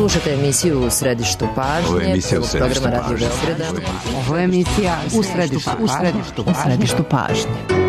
Slušate emisiju U središtu pažnje. Ovo je emisija U središtu programa Radio pažnje. Beograda. Ovo je emisija U središtu pažnje.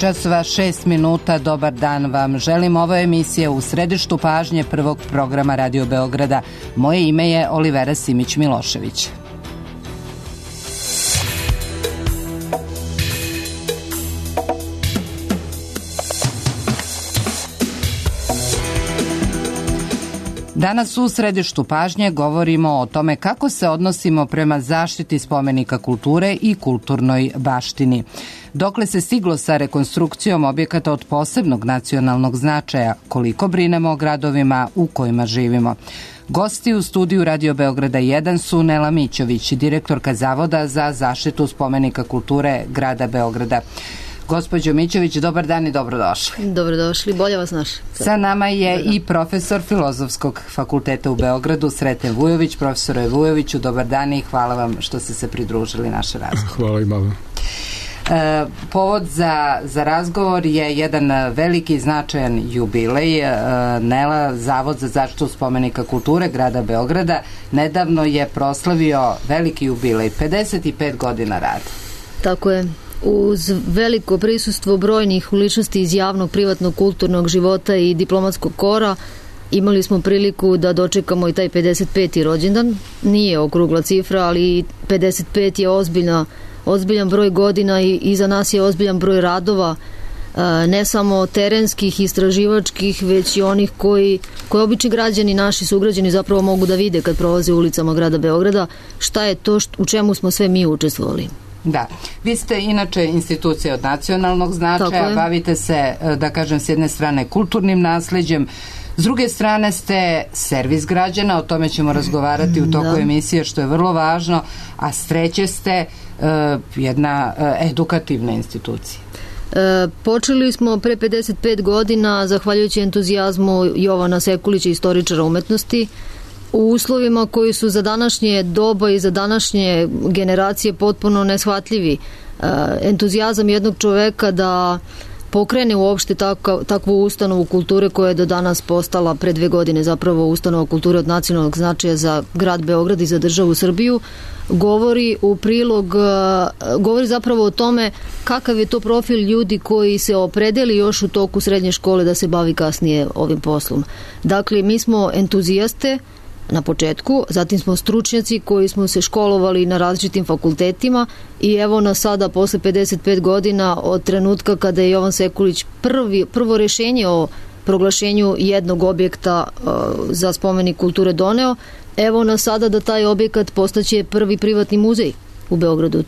časova 6 minuta, dobar dan vam želim. Ovo je emisija U središtu pažnje prvog programa Radio Beograda. Moje ime je Olivera Simić-Milošević. Danas u središtu pažnje govorimo o tome kako se odnosimo prema zaštiti spomenika kulture i kulturnoj baštini. Dokle se stiglo sa rekonstrukcijom objekata od posebnog nacionalnog značaja, koliko brinemo o gradovima u kojima živimo. Gosti u studiju Radio Beograda 1 su Nela Mićović, direktorka Zavoda za zaštitu spomenika kulture grada Beograda. Gospođo Mićović, dobar dan i dobrodošli. Dobrodošli, bolje vas našli. Sa nama je i profesor Filozofskog fakulteta u Beogradu, Sreten Vujović. Profesore Vujoviću, dobar dan i hvala vam što ste se pridružili naše razgovor. Hvala i malo. Povod za razgovor je jedan veliki i značajan jubilej. Nela, Zavod za zaštitu spomenika kulture grada Beograda nedavno je proslavio veliki jubilej, 55 godina rada. Tako je. Uz veliko prisustvo brojnih ličnosti iz javnog, privatnog, kulturnog života i diplomatskog kora imali smo priliku da dočekamo i taj 55. rođendan. Nije okrugla cifra, ali 55 je ozbiljan broj godina i za nas je ozbiljan broj radova, ne samo terenskih, istraživačkih, već i onih koji obični građani, naši sugrađani zapravo mogu da vide kad prolaze ulicama grada Beograda, šta je to u čemu smo sve mi učestvovali. Da, vi ste inače institucija od nacionalnog značaja, bavite se, da kažem, s jedne strane kulturnim nasleđem, s druge strane ste servis građana, o tome ćemo razgovarati u toku emisije, što je vrlo važno, a s treće ste jedna edukativna institucija. Počeli smo pre 55 godina, zahvaljujući entuzijazmu Jovana Sekulića, istoričara umetnosti, u uslovima koji su za današnje doba i za današnje generacije potpuno neshvatljivi. Entuzijazam jednog čoveka da pokrene uopšte takvu ustanovu kulture koja je do danas postala pre 2 godine zapravo ustanova kulture od nacionalnog značaja za grad Beograd i za državu Srbiju, govori zapravo o tome kakav je to profil ljudi koji se opredeli još u toku srednje škole da se bavi kasnije ovim poslom. Dakle, mi smo entuzijaste na početku, zatim smo stručnjaci koji smo se školovali na različitim fakultetima i evo nas sada posle 55 godina od trenutka kada je Jovan Sekulić prvo rešenje o proglašenju jednog objekta za spomenik kulture doneo, evo nas sada da taj objekat postaće prvi privatni muzej u Beogradu.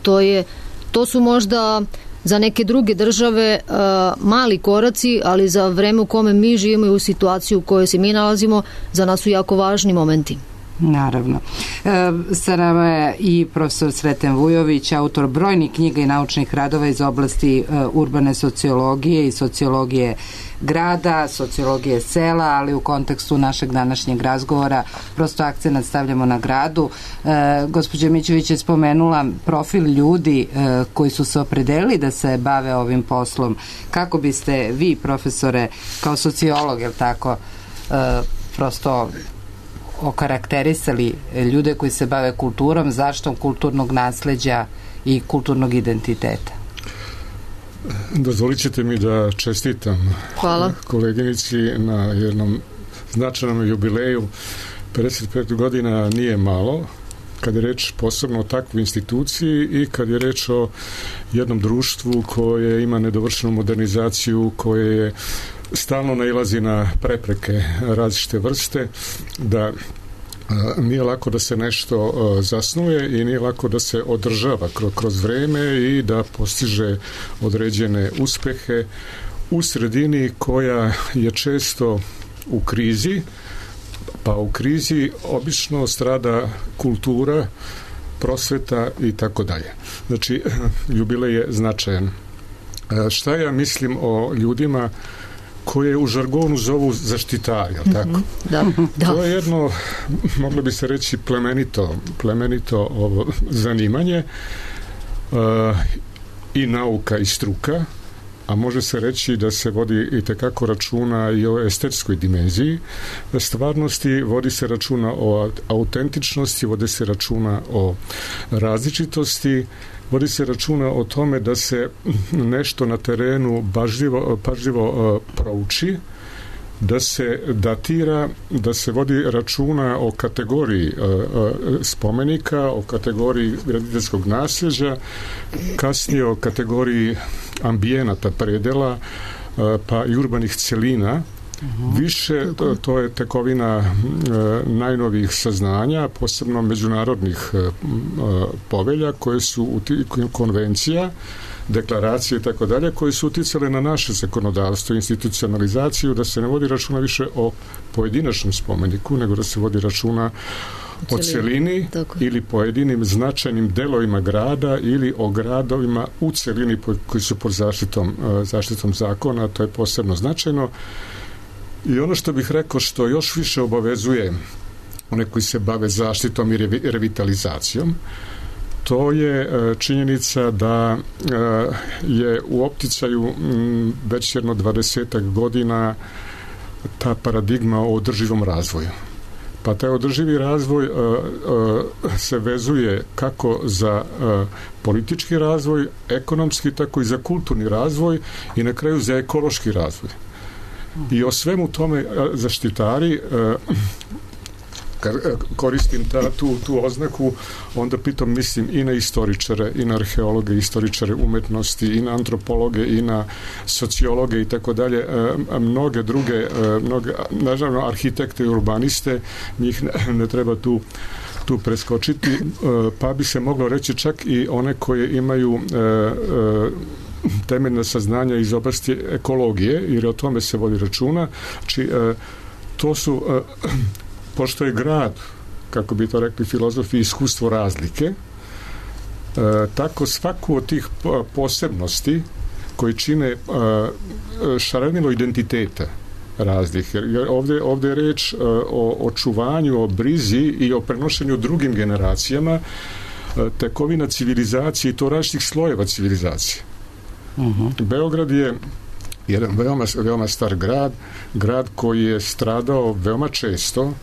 To su možda za neke druge države mali koraci, ali za vreme u kome mi živimo i u situaciju u kojoj se mi nalazimo, za nas su jako važni momenti. Naravno. Sa nama je i profesor Sreten Vujović, autor brojnih knjiga i naučnih radova iz oblasti urbane sociologije i sociologije grada, sociologije sela, ali u kontekstu našeg današnjeg razgovora prosto akcenat stavljamo na gradu. Gospođa Mićević je spomenula profil ljudi koji su se opredelili da se bave ovim poslom. Kako biste vi, profesore, kao sociolog, je li tako, prosto okarakterisali ljude koji se bave kulturom, zaštitom kulturnog nasleđa i kulturnog identiteta? Dozvolit ćete mi da čestitam koleginici na jednom značajnom jubileju. 55 godina nije malo, kad je reč posebno o takvoj instituciji i kad je reč o jednom društvu koje ima nedovršenu modernizaciju, koje je stalno nailazi na prepreke različite vrste, da nije lako da se nešto zasnuje i nije lako da se održava kroz vreme i da postiže određene uspehe u sredini koja je često u krizi, pa u krizi obično strada kultura, prosveta i tako dalje. Znači, jubilej je značajan. Šta ja mislim o ljudima koje u žargonu zovu zaštitari, tako? Da. To je jedno, moglo bi se reći, plemenito ovo zanimanje i nauka i struka, a može se reći da se vodi i tekako računa i o estetskoj dimenziji stvarnosti, vodi se računa o autentičnosti, vodi se računa o različitosti, vodi se računa o tome da se nešto na terenu pažljivo prouči, da se datira, da se vodi računa o kategoriji spomenika, o kategoriji graditeljskog nasljeđa, kasnije o kategoriji ambijenata predela, pa i urbanih celina. Više to je tekovina najnovijih saznanja, posebno međunarodnih povelja koje su konvencija, deklaracije i tako dalje, koje su uticale na naše zakonodavstvo, institucionalizaciju, da se ne vodi računa više o pojedinačnom spomeniku, nego da se vodi računa o celini ili pojedinim značajnim delovima grada ili o gradovima u celini koji su pod zaštitom zakona. To je posebno značajno. I ono što bih rekao, što još više obavezuje one koji se bave zaštitom i revitalizacijom, to je činjenica da je u opticaju već jedno 20 godina ta paradigma o održivom razvoju. Pa taj održivi razvoj se vezuje kako za politički razvoj, ekonomski, tako i za kulturni razvoj i na kraju za ekološki razvoj. I o svemu tome zaštitari, kad koristim tu oznaku, onda pitam, mislim i na istoričare, i na arheologe, istoričare umetnosti, i na antropologe, i na sociologe i tako dalje, mnoge druge, naravno arhitekte i urbaniste, njih ne treba tu preskočiti, pa bi se moglo reći čak i one koje imaju temeljna saznanja iz oblasti ekologije, jer o tome se vodi računa. Znači, to su, pošto je grad, kako bi to rekli filozofi, iskustvo razlike, tako svaku od tih posebnosti koji čine šarenilo identiteta razlike. Ovdje je reč o očuvanju, o brizi i o prenošenju drugim generacijama tekovina civilizacije i to različitih slojeva civilizacije. Beograd je jedan veoma star grad koji je stradao veoma često.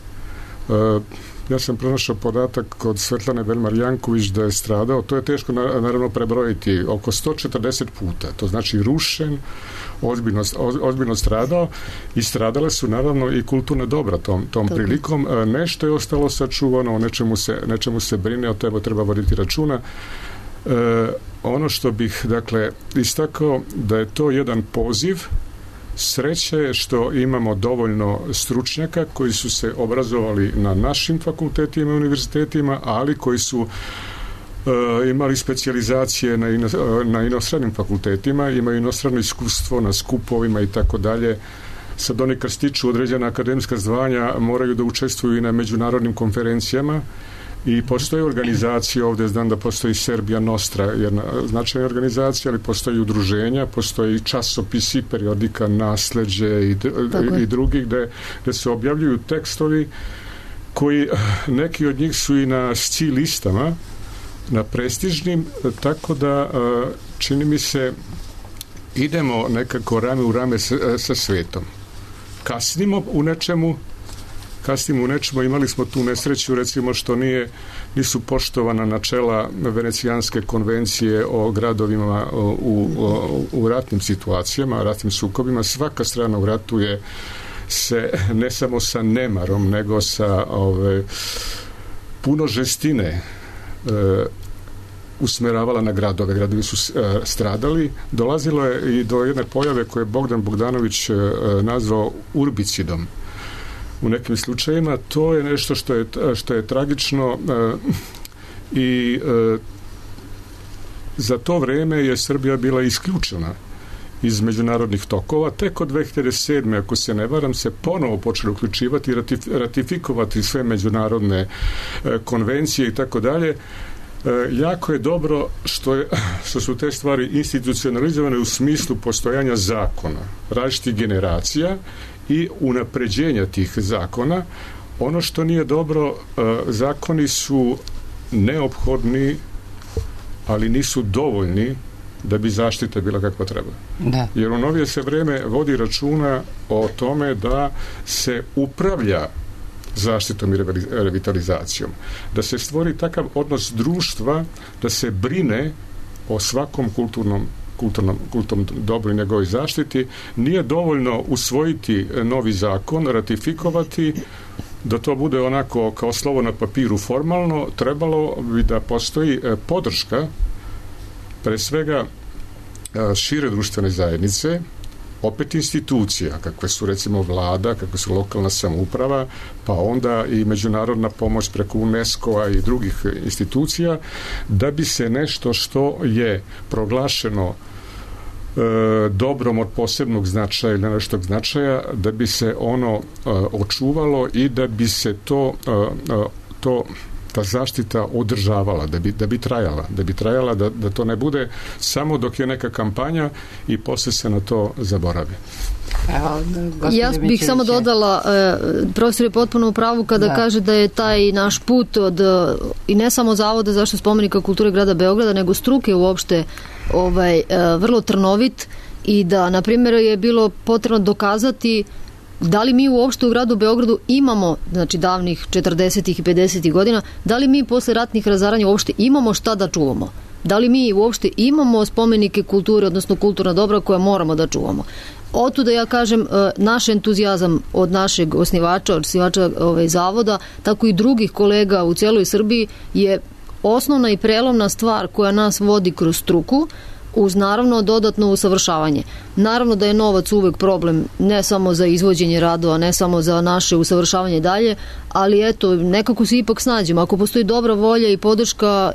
Ja sam pronašao podatak kod Svetlane Velmar-Janković da je stradao, to je teško naravno prebrojiti, oko 140 puta, to znači rušen, ozbiljno stradao i stradale su naravno i kulturne dobra tom prilikom. Nešto je ostalo sačuvano, o nečemu se brine, o tebe treba voditi računa. Ono što bih istakao da je to jedan poziv. Sreće je što imamo dovoljno stručnjaka koji su se obrazovali na našim fakultetima i univerzitetima, ali koji su imali specijalizacije na inostranim fakultetima, imaju inostrano iskustvo na skupovima i tako dalje Sad oni kad stiču određena akademska zvanja moraju da učestvuju i na međunarodnim konferencijama i postoje organizacije, ovdje znam da postoji Serbia Nostra, jedna značajna organizacija, ali postoji udruženja, postoji časopisi, periodika Nasleđe i drugi gde se objavljuju tekstovi koji, neki od njih su i na SCI listama, na prestižnim, tako da čini mi se idemo nekako rame u rame sa svetom. Kasnimo u nečemu, imali smo tu nesreću, recimo što nisu poštovana načela Venecijanske konvencije o gradovima u ratnim situacijama, ratnim sukobima. Svaka strana u ratu je se ne samo sa nemarom, nego sa puno žestine usmeravala na gradove. Gradovi su stradali. Dolazilo je i do jedne pojave koje je Bogdan Bogdanović nazvao urbicidom. U nekim slučajima to je nešto što je tragično i za to vreme je Srbija bila isključena iz međunarodnih tokova. Tek od 2007. ako se ne varam se ponovo počeli uključivati i ratifikovati sve međunarodne konvencije i tako dalje. Jako je dobro što su te stvari institucionalizovane u smislu postojanja zakona, različitih generacija i unapređenja tih zakona. Ono što nije dobro, zakoni su neophodni, ali nisu dovoljni da bi zaštita bila kakva treba. Da. Jer u novije se vreme vodi računa o tome da se upravlja zaštitom i revitalizacijom. Da se stvori takav odnos društva da se brine o svakom kulturnom dobru i njegovoj zaštiti. Nije dovoljno usvojiti novi zakon, ratifikovati, da to bude onako kao slovo na papiru formalno. Trebalo bi da postoji podrška pre svega šire društvene zajednice, opet institucija, kakve su recimo vlada, kakve su lokalna samouprava, pa onda i međunarodna pomoć preko UNESCO-a i drugih institucija, da bi se nešto što je proglašeno dobrom od posebnog značaja ili nešto značaja, da bi se ono očuvalo i da bi se ta zaštita održavala, da bi trajala, da to ne bude samo dok je neka kampanja i posle se na to zaboravi. Ja bih samo dodala, profesor je potpuno u pravu kada kaže da je taj naš put i ne samo Zavoda zaštite spomenika kulture grada Beograda, nego struke uopšte vrlo trnovit i da, na primjer, je bilo potrebno dokazati da li mi uopšte u gradu Beogradu imamo, znači davnih 40. i 50. godina, da li mi posle ratnih razaranja uopšte imamo šta da čuvamo? Da li mi uopšte imamo spomenike kulture, odnosno kulturna dobra koja moramo da čuvamo? Otuda ja kažem, naš entuzijazam od našeg osnivača zavoda, tako i drugih kolega u cijeloj Srbiji je osnovna i prelomna stvar koja nas vodi kroz struku, uz naravno dodatno usavršavanje. Naravno da je novac uvek problem, ne samo za izvođenje radova, ne samo za naše usavršavanje dalje, ali eto, nekako se ipak snađemo. Ako postoji dobra volja i podrška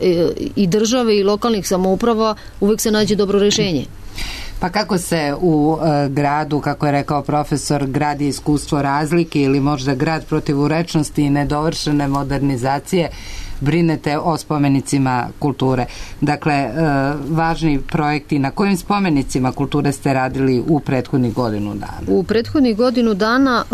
i države i lokalnih samouprava, uvek se nađe dobro rešenje. Pa kako se u gradu, kako je rekao profesor, gradi iskustvo razlike ili možda grad protivurečnosti i nedovršene modernizacije, brinete o spomenicima kulture? Dakle, važni projekti, na kojim spomenicima kulture ste radili u prethodnih godinu dana? U prethodnih godinu dana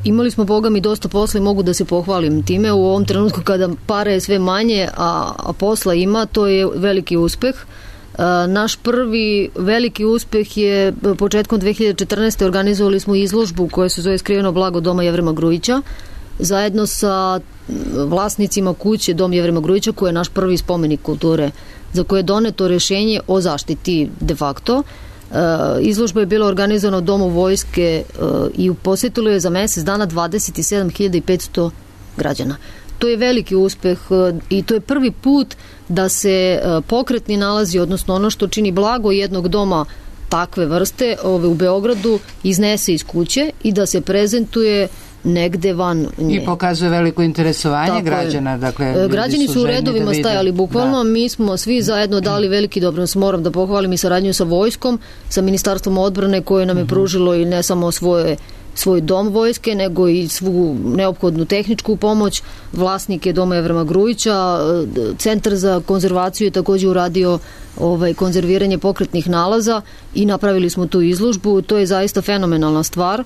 imali smo, Boga mi, dosta posla i mogu da se pohvalim time. U ovom trenutku kada para je sve manje, a posla ima, to je veliki uspeh. Naš prvi veliki uspeh je početkom 2014. organizovali smo izložbu koja se zove Skriveno blago Doma Jevrema Grujića, zajedno sa vlasnicima kuće Dom Jevrema Grujića, koji je naš prvi spomenik kulture, za koje je doneto rešenje o zaštiti de facto. Izložba je bila organizovana u Domu vojske i posjetilo je za mesec dana 27.500 građana. To je veliki uspeh i to je prvi put da se pokretni nalazi, odnosno ono što čini blago jednog doma takve vrste u Beogradu, iznese iz kuće i da se prezentuje negde van nje. I pokazuje veliko interesovanje građana. Dakle, građani su u redovima stajali bukvalno. Mi smo svi zajedno dali veliki doprinos. Moram da pohvalim i saradnju sa vojskom, sa Ministarstvom odbrane koje nam je pružilo i ne samo svoje svoj dom vojske, nego i svu neophodnu tehničku pomoć. Vlasnik je Doma Jevrema Grujića, Centar za konzervaciju je također uradio konzerviranje pokretnih nalaza i napravili smo tu izložbu. To je zaista fenomenalna stvar.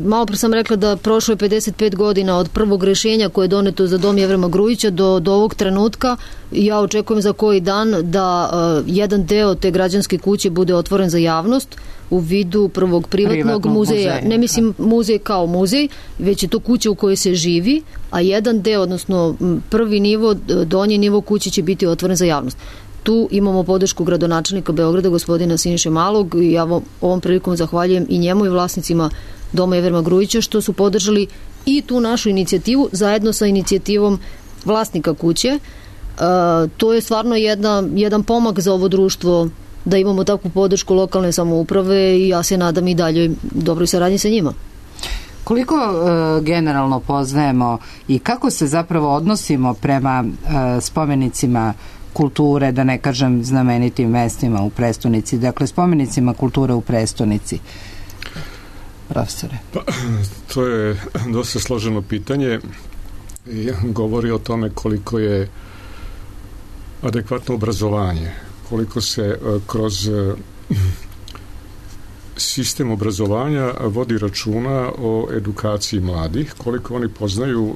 Malo pre sam rekla da prošlo je 55 godina od prvog rješenja koje je doneto za Dom Jevrema Grujića do ovog trenutka. Ja očekujem za koji dan da jedan deo te građanske kuće bude otvoren za javnost u vidu prvog privatnog muzeja. Ne mislim muzej kao muzej, već je to kuća u kojoj se živi, a jedan deo, odnosno prvi nivo, donji nivo kuće će biti otvoren za javnost. Tu imamo podršku gradonačelnika Beograda, gospodina Siniše Malog, i ja ovom prilikom zahvaljujem i njemu i vlasnicima Doma Jevrema Grujića što su podržali i tu našu inicijativu zajedno sa inicijativom vlasnika kuće. To je stvarno jedan pomak za ovo društvo, da imamo takvu podršku lokalne samouprave, i ja se nadam i dalje dobroj saradnji sa njima. Koliko generalno poznajemo i kako se zapravo odnosimo prema spomenicima kulture, da ne kažem znamenitim mestima u prestonici, dakle spomenicima kulture u prestonici? Profesore. To je dosta složeno pitanje i govori o tome koliko je adekvatno obrazovanje, koliko se kroz sistem obrazovanja vodi računa o edukaciji mladih, koliko oni poznaju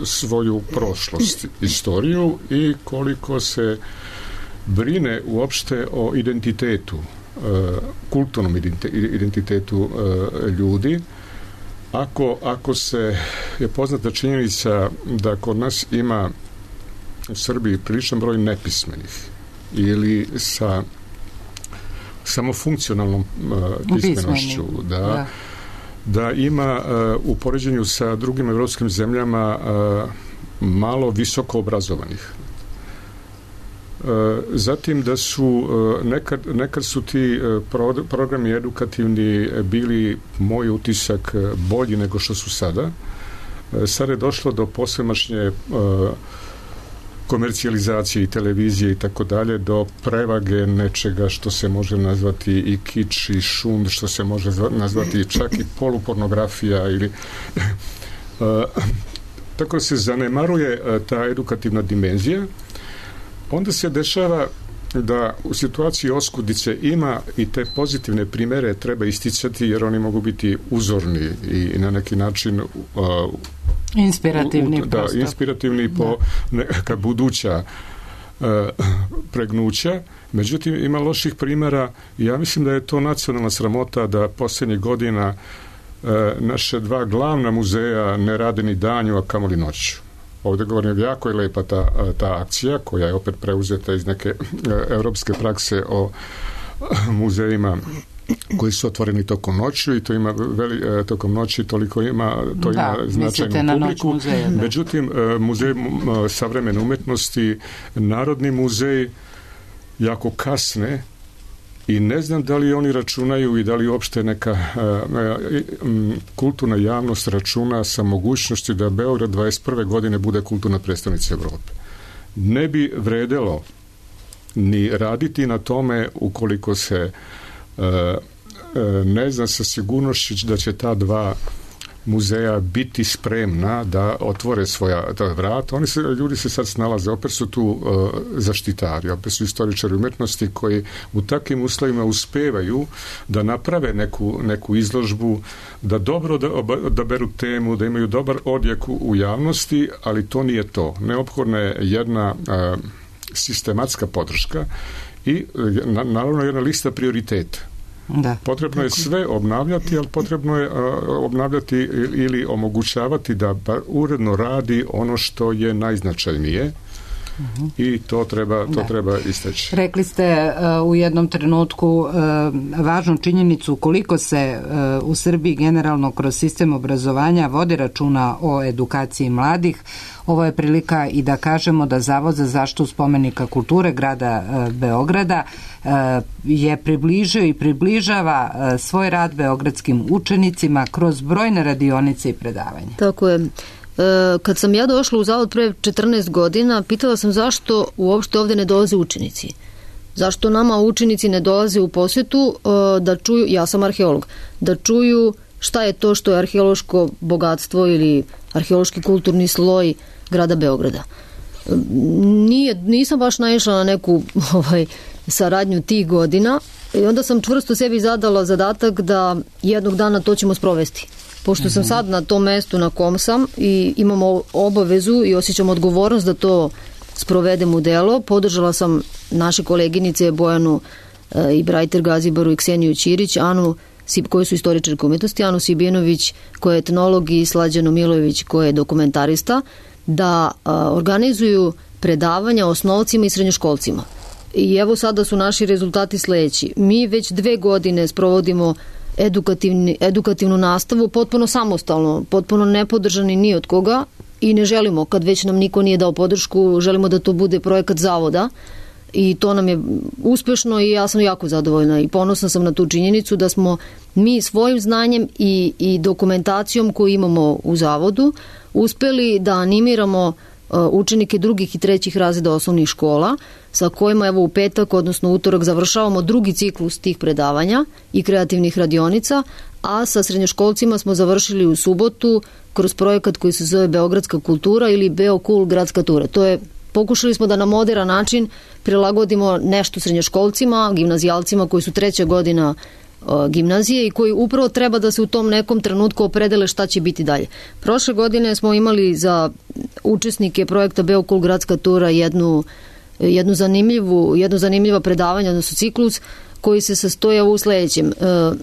svoju prošlost, istoriju, i koliko se brine uopšte o identitetu, kulturnom identitetu ljudi. Ako se je poznata činjenica da kod nas ima u Srbiji priličan broj nepismenih ili sa samo funkcionalnom pismenošću, da ima u poređenju sa drugim evropskim zemljama malo visoko obrazovanih. Zatim da su nekad su ti programi edukativni bili, moj utisak, bolji nego što su sada. Sada je došlo do posvemašnje komercijalizacije i televizije i tako dalje, do prevage nečega što se može nazvati i kič i šund, što se može nazvati čak i polupornografija ili tako se zanemaruje ta edukativna dimenzija. Onda se dešava da u situaciji oskudice ima i te pozitivne primere treba isticati, jer oni mogu biti uzorni i na neki način inspirativni po neka buduća pregnuća. Međutim, ima loših primjera i ja mislim da je to nacionalna sramota da posljednjih godina naše dva glavna muzeja ne rade ni danju, a kamoli noću. Ovdje govorim, jako je lepa ta akcija koja je opet preuzeta iz neke europske prakse o muzejima koji su otvoreni tokom noći, i to ima tokom noći toliko ima, to ima značajnu publiku. Muzeja, međutim, muzej savremene umjetnosti, Narodni muzej jako kasne i ne znam da li oni računaju i da li uopšte neka kulturna javnost računa sa mogućnosti da Beograd 21. godine bude kulturna predstavnica Evrope. Ne bi vredelo ni raditi na tome ukoliko se ne zna sa sigurnošću da će ta dva muzeja biti spremna da otvore svoja vrata. Ljudi se sad snalaze, opet su tu zaštitari, opet su istoričari umjetnosti koji u takvim uslovima uspevaju da naprave neku izložbu, da dobro odaberu temu, da imaju dobar odjek u javnosti, ali to nije to. Neophodna je jedna sistematska podrška i naravno jedna lista prioriteta. Potrebno je sve obnavljati, ali potrebno je obnavljati ili omogućavati da uredno radi ono što je najznačajnije i to treba istaći. Rekli ste u jednom trenutku važnu činjenicu koliko se u Srbiji generalno kroz sistem obrazovanja vodi računa o edukaciji mladih. Ovo je prilika i da kažemo da Zavod za zaštitu spomenika kulture grada Beograda je približio i približava svoj rad beogradskim učenicima kroz brojne radionice i predavanja. Tako je. Kad sam ja došla u Zavod pre 14 godina, pitala sam zašto uopšte ovdje ne dolaze učenici. Zašto nama učenici ne dolaze u posjetu da čuju, ja sam arheolog, da čuju šta je to što je arheološko bogatstvo ili arheološki kulturni sloj grada Beograda. Nisam baš naišla na neku saradnju tih godina i onda sam čvrsto sebi zadala zadatak da jednog dana to ćemo sprovesti. Pošto sam sad na tom mestu na kom sam i imamo obavezu i osjećam odgovornost da to sprovedem u delo, podržala sam naše koleginice Bojanu i Brajter Gazibaru i Kseniju Ćirić, Anu koji su istoričarke umetnosti, Anu Sibinović koja je etnolog i Slađanu Milojević koja je dokumentarista, da organizuju predavanja osnovcima i srednjoškolcima. I evo sada su naši rezultati sledeći. Mi već 2 godine sprovodimo edukativnu nastavu potpuno samostalno, potpuno nepodržani ni od koga i ne želimo, kad već nam niko nije dao podršku, želimo da to bude projekat zavoda i to nam je uspešno i ja sam jako zadovoljna i ponosna sam na tu činjenicu da smo mi svojim znanjem i dokumentacijom koju imamo u zavodu uspeli da animiramo učenike drugih i trećih razreda osnovnih škola sa kojima evo u petak, odnosno utorak završavamo drugi ciklus tih predavanja i kreativnih radionica, a sa srednjoškolcima smo završili u subotu kroz projekat koji se zove Beogradska kultura ili Beokul gradska tura. Pokušali smo da na moderan način prilagodimo nešto srednjoškolcima, gimnazijalcima koji su 3. godina gimnazije i koji upravo treba da se u tom nekom trenutku opredele šta će biti dalje. Prošle godine smo imali za učesnike projekta Beokul gradska tura jedno zanimljivo predavanje, odnosno ciklus koji se sastoja u sledećem.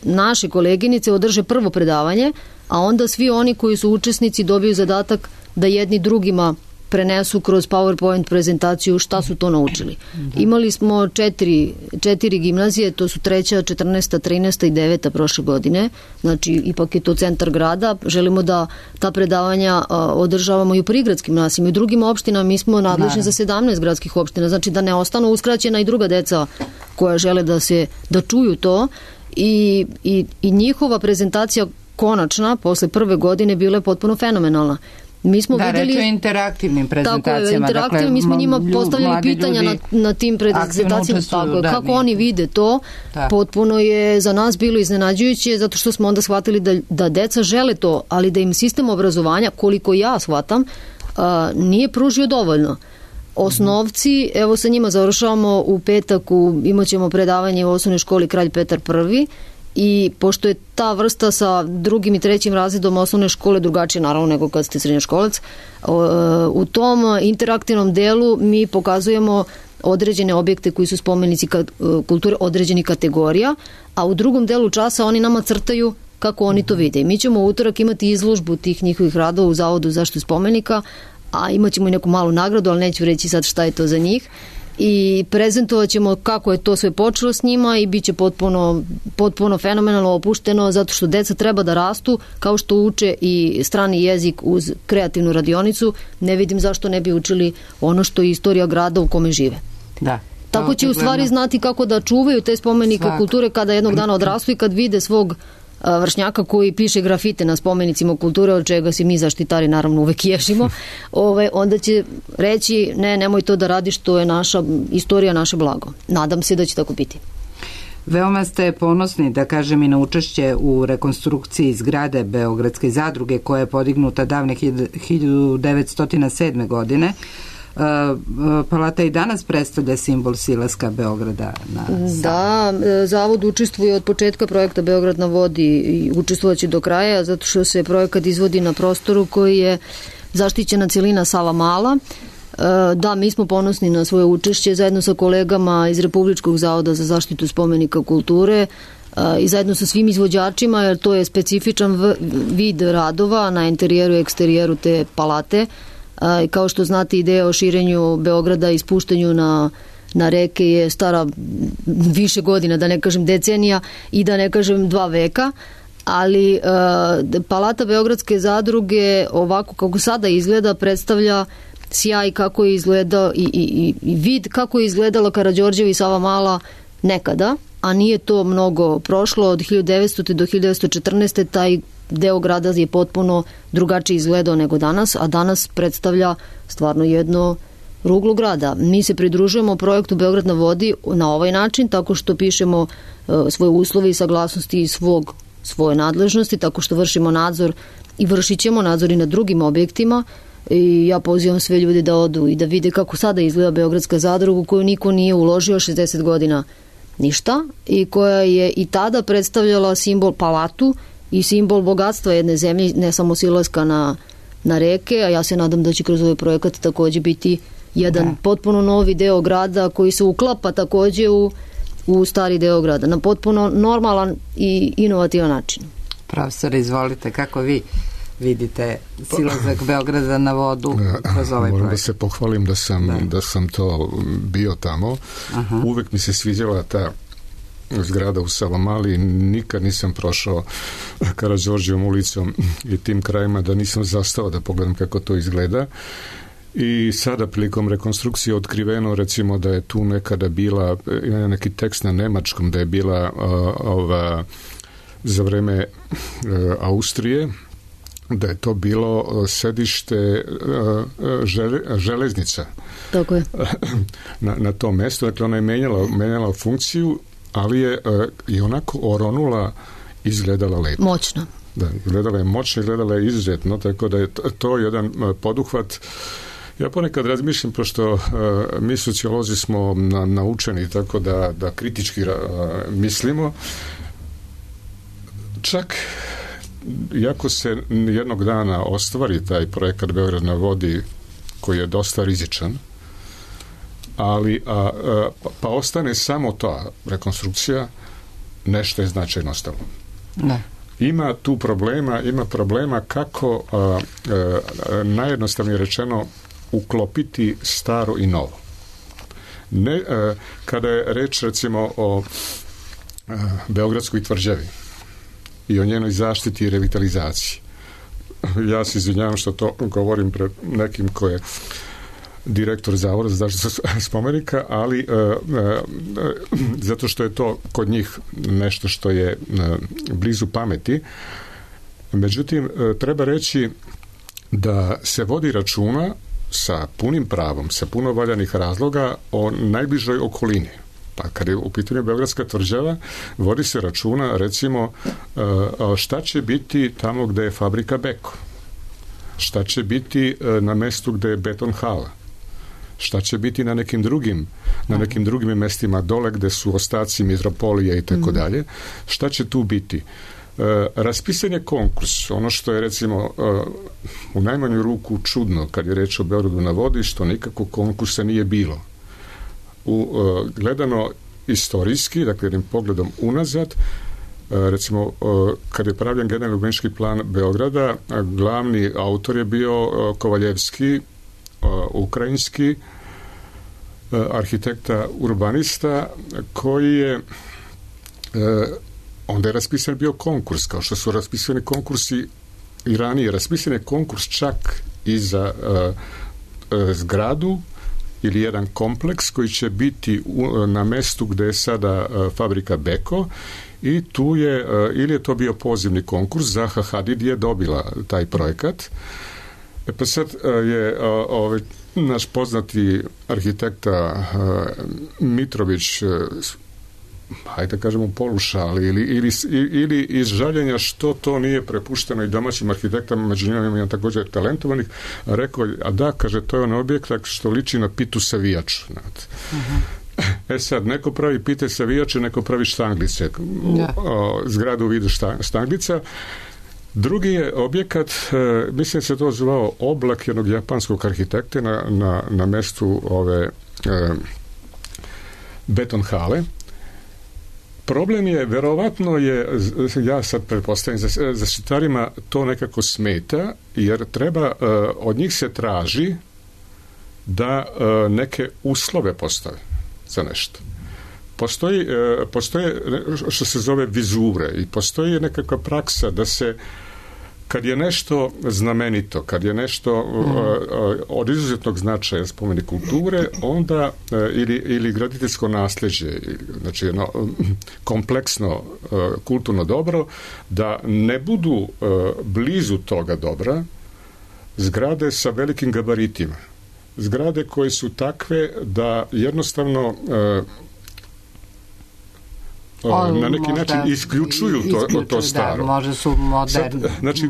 Naše koleginice održe prvo predavanje, a onda svi oni koji su učesnici dobiju zadatak da jedni drugima prenesu kroz PowerPoint prezentaciju šta su to naučili. Imali smo četiri gimnazije, to su 3., 14., 13. i 9. prošle godine, znači ipak je to centar grada. Želimo da ta predavanja održavamo i u prigradskim naseljima i u drugim opštinama. Mi smo nadležni za 17 gradskih opština, znači da ne ostanu uskraćena i druga deca koja žele da čuju to i njihova prezentacija konačna posle prve godine bila je potpuno fenomenalna. Mi smo videli, reč o interaktivnim prezentacijama. Tako je, interaktivnim, mi smo njima postavljali pitanja na tim prezentacijama, kako oni vide to. Potpuno je za nas bilo iznenađujuće, zato što smo onda shvatili da deca žele to, ali da im sistem obrazovanja, koliko ja shvatam, nije pružio dovoljno. Osnovci, evo sa njima završavamo u petak, imat ćemo predavanje u osnovnoj školi Kralj Petar I, i pošto je ta vrsta sa 2. i 3. razredom osnovne škole drugačije naravno nego kad ste srednjoškolac, u tom interaktivnom delu mi pokazujemo određene objekte koji su spomenici kulture određenih kategorija, a u drugom delu časa oni nama crtaju kako oni to vide. Mi ćemo u utorak imati izložbu tih njihovih radova u Zavodu za zaštitu spomenika, a imat ćemo i neku malu nagradu, ali neću reći sad šta je to za njih. I prezentovat ćemo kako je to sve počelo s njima i bit će potpuno fenomenalno opušteno, zato što deca treba da rastu kao što uče i strani jezik uz kreativnu radionicu. Ne vidim zašto ne bi učili ono što je istorija grada u kome žive. Da. Tako će u stvari znati kako da čuvaju te spomenike kulture kada jednog dana odrastu i kad vide svog vršnjaka koji piše grafite na spomenicima kulture, od čega se mi zaštitari naravno uvek ježimo, onda će reći nemoj to da radiš, to je naša istorija, naše blago. Nadam se da će tako biti. Veoma ste ponosni, da kažem, i na učešće u rekonstrukciji zgrade Beogradske zadruge koja je podignuta davne 1907. godine. Palata i danas predstavlja simbol silaska Beograda na Savu. Da, Zavod učestvuje od početka projekta Beograd na vodi i učestvovaće do kraja, zato što se projekat izvodi na prostoru koji je zaštićena celina Sava Mala. Da, mi smo ponosni na svoje učešće zajedno sa kolegama iz Republičkog zavoda za zaštitu spomenika kulture i zajedno sa svim izvođačima, jer to je specifičan vid radova na interijeru i eksterijeru te palate. Kao što znate, ideja o širenju Beograda i spuštanju na reke je stara više godina, da ne kažem decenija i da ne kažem 2 veka, ali palata Beogradske zadruge ovako kako sada izgleda predstavlja sjaj kako je izgledao i vid kako je izgledala Karađorđeva i Sava Mala nekada, a nije to mnogo prošlo. Od 1900. do 1914. taj deo grada je potpuno drugačije izgledao nego danas, a danas predstavlja stvarno ruglu grada. Mi se pridružujemo projektu Beograd na vodi na ovaj način, tako što pišemo svoje uslove i saglasnosti i svoje nadležnosti, tako što vršimo nadzor i vršit ćemo nadzor i na drugim objektima. I ja pozivam sve ljude da odu i da vide kako sada izgleda Beogradska zadruga, u koju niko nije uložio 60 godina ništa i koja je i tada predstavljala simbol palatu i simbol bogatstva jedne zemlje, ne samo silaska na reke, a ja se nadam da će kroz ovaj projekat takođe biti jedan potpuno novi deo grada koji se uklapa takođe u stari deo grada na potpuno normalan i inovativan način. Profesor, izvolite, kako vi vidite silazak Beograda na vodu kroz ovaj projekt? Moram da se pohvalim da sam to bio tamo. Uvek mi se sviđala ta zgrada u Savamali, nikad nisam prošao Karađorđevom ulicom i tim krajima da nisam zastao da pogledam kako to izgleda. I sada prilikom rekonstrukcije otkriveno, recimo da je tu nekada bila, ima neki tekst na nemačkom, da je bila za vreme Austrije, da je to bilo sedište železnica. Tako je. Na tom mestu, dakle ona je menjala funkciju, ali je i onako oronula, izgledala lepo. Moćno. Da, izgledala je moćno, izgledala je izuzetno, tako da je to jedan poduhvat. Ja ponekad razmišljam, pošto mi sociolozi smo naučeni tako da kritički mislimo, čak iako se jednog dana ostvari taj projekat Beograd na vodi, koji je dosta rizičan, ali pa ostane samo ta rekonstrukcija, nešto je značajno ostalo. Ne. Ima tu problema kako najjednostavnije rečeno uklopiti staro i novo. Kada je reč recimo o Beogradskoj tvrđavi i o njenoj zaštiti i revitalizaciji, ja se izvinjavam što to govorim pred nekim ko je direktor Zavoda za zaštitu spomenika, ali zato što je to kod njih nešto što je blizu pameti. Međutim, treba reći da se vodi računa sa punim pravom, sa puno valjanih razloga o najbližoj okolini. Pa kad je u pitanju Beogradska tvrđava, vodi se računa recimo šta će biti tamo gde je fabrika Beko, šta će biti na mestu gde je beton hala, šta će biti na nekim drugim mestima dole gde su ostaci metropolije i tako dalje, šta će tu biti. Raspisan je konkurs, ono što je recimo u najmanju ruku čudno kad je reč o Beogradu na vodi, što nikako konkursa nije bilo. Gledano istorijski, dakle jednim pogledom unazad, recimo kad je pravljen generalni urbanistički plan Beograda, glavni autor je bio Kovaljevski, ukrajinski arhitekta urbanista, koji je onda je raspisan bio konkurs, kao što su raspisani konkursi i ranije. Raspisan je konkurs čak i za zgradu ili jedan kompleks koji će biti na mestu gde je sada fabrika Beko, i tu je, ili je to bio pozivni konkurs, Zaha Hadid je dobila taj projekat. Pa sad je naš poznati arhitekta Mitrović, hajde kažemo polušali ili iz žaljenja što to nije prepušteno i domaćim arhitektama, među njima ima također talentovanih, rekao, a da, kaže, to je on objekt što liči na pitu savijaču. Sad, neko pravi pite savijače, neko pravi štanglice, zgradu u vidu štanglica. Drugi je objekat, mislim se to zvao Oblak jednog japanskog arhitekte na mestu ove beton hale. Problem je, verovatno je, ja sad pretpostavim, zaštitarima to nekako smeta, jer treba, od njih se traži da neke uslove postave za nešto. Postoje što se zove vizure i postoji nekakva praksa da se, kad je nešto znamenito, kad je nešto od izuzetnog značaja spomenik kulture, onda ili graditeljsko nasleđe, znači jedno kompleksno kulturno dobro, da ne budu blizu toga dobra zgrade sa velikim gabaritima. zgrade koje su takve da jednostavno na neki način isključuju to staro. Da, možda su moderni. Znači,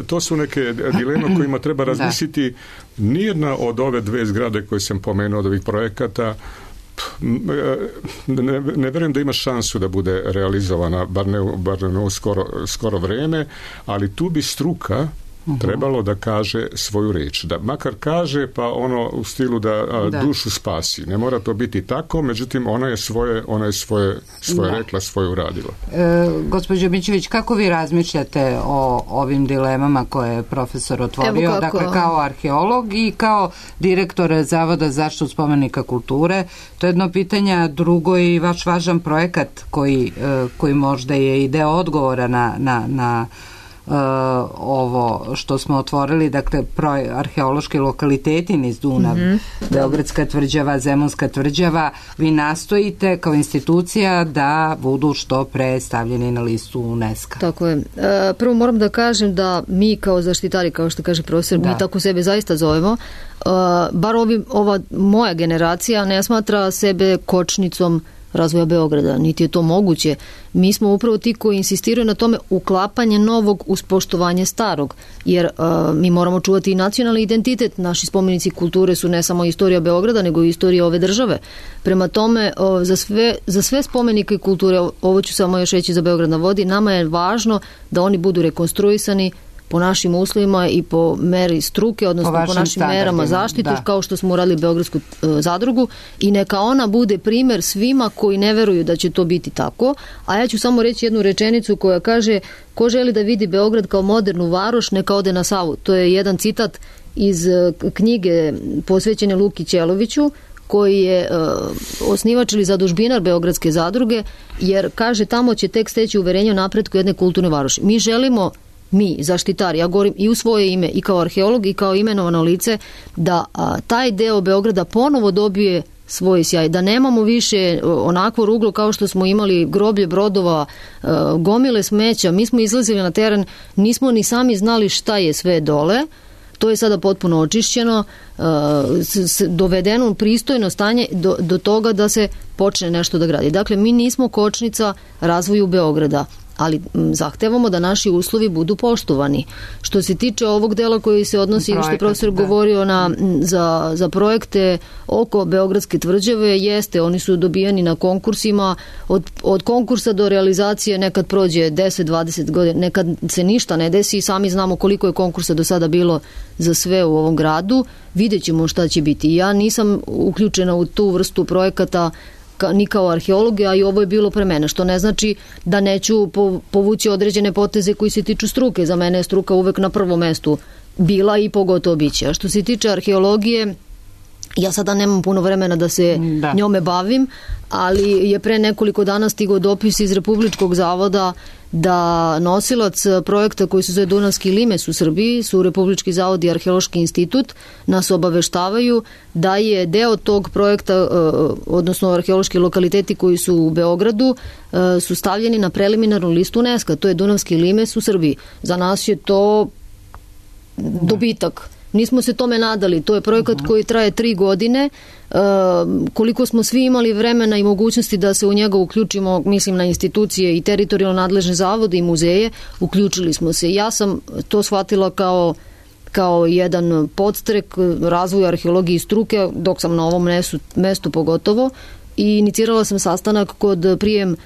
to su neke dileme o kojima treba razmisliti. Nijedna od ove dve zgrade koje sam pomenuo od ovih projekata ne verujem da ima šansu da bude realizovana, bar ne u skoro vreme, ali tu bi struka trebalo da kaže svoju reč. Da makar kaže, pa ono u stilu da dušu spasi. Ne mora to biti tako, međutim ona je svoje rekla, svoje uradila. Gospođo Mićević, kako vi razmišljate o ovim dilemama koje je profesor otvorio? Dakle, kao arheolog i kao direktor Zavoda za zaštitu spomenika kulture. To je jedno pitanje, drugo i vaš važan projekat koji možda je i deo odgovora na ovo što smo otvorili, dakle arheološki lokaliteti niz Dunav, Beogradska tvrđava, Zemunska tvrđava. Vi nastojite kao institucija da budu što pre stavljeni na listu UNESCO. Tako je. Prvo moram da kažem da mi kao zaštitari, kao što kaže profesor, mi tako sebe zaista zovemo, bar ova moja generacija ne smatra sebe kočnicom razvoja Beograda, niti je to moguće. Mi smo upravo ti koji insistiraju na tome uklapanje novog uz poštovanje starog, jer mi moramo čuvati i nacionalni identitet. Naši spomenici kulture su ne samo istorija Beograda, nego i istorija ove države. Prema tome, za sve spomenike kulture, ovo ću samo još reći za Beograd na vodi, nama je važno da oni budu rekonstruisani po našim uslovima i po meri struke, odnosno po našim merama zaštite, kao što smo uradili Beogradsku zadrugu, i neka ona bude primer svima koji ne veruju da će to biti tako. A ja ću samo reći jednu rečenicu koja kaže: ko želi da vidi Beograd kao modernu varoš, neka ode na Savu. To je jedan citat iz knjige posvećene Luki Ćeloviću, koji je osnivač ili zadužbinar Beogradske zadruge, jer kaže tamo će tek steći uverenje o napretku jedne kulturne varoši. Mi želimo, mi, zaštitari, ja govorim i u svoje ime i kao arheolog i kao imenovano lice, da taj deo Beograda ponovo dobije svoj sjaj, da nemamo više onakvo ruglo kao što smo imali, groblje brodova, gomile smeća. Mi smo izlazili na teren, nismo ni sami znali šta je sve dole. To je sada potpuno očišćeno, dovedeno u pristojno stanje do toga da se počne nešto da gradi. Dakle, mi nismo kočnica razvoju Beograda, ali zahtevamo da naši uslovi budu poštovani. Što se tiče ovog dela koji se odnosi, što je profesor govorio za projekte oko Beogradske tvrđave, jeste, oni su dobijeni na konkursima, od konkursa do realizacije nekad prođe 10-20 godina, nekad se ništa ne desi, sami znamo koliko je konkursa do sada bilo za sve u ovom gradu, vidjet ćemo šta će biti. Ja nisam uključena u tu vrstu projekata ni kao arheolog, a i ovo je bilo pre mene, što ne znači da neću povući određene poteze koji se tiču struke. Za mene je struka uvek na prvom mestu bila i pogotovo biće. A što se tiče arheologije, ja sada nemam puno vremena da se njome bavim, ali je pre nekoliko dana stigao dopis iz Republičkog zavoda da nosilac projekta koji se zove Dunavski limes u Srbiji su Republički zavod i Arheološki institut, nas obaveštavaju da je deo tog projekta, odnosno arheološki lokaliteti koji su u Beogradu, su stavljeni na preliminarnu listu UNESCO. To je Dunavski limes u Srbiji. Za nas je to dobitak. Nismo se tome nadali. To je projekat koji traje 3 godine. Koliko smo svi imali vremena i mogućnosti da se u njega uključimo, mislim na institucije i teritorijalno nadležne zavode i muzeje, uključili smo se. Ja sam to shvatila kao jedan podstrek razvoja arheologije i struke, dok sam na ovom mestu pogotovo, i inicirala sam sastanak kod prijem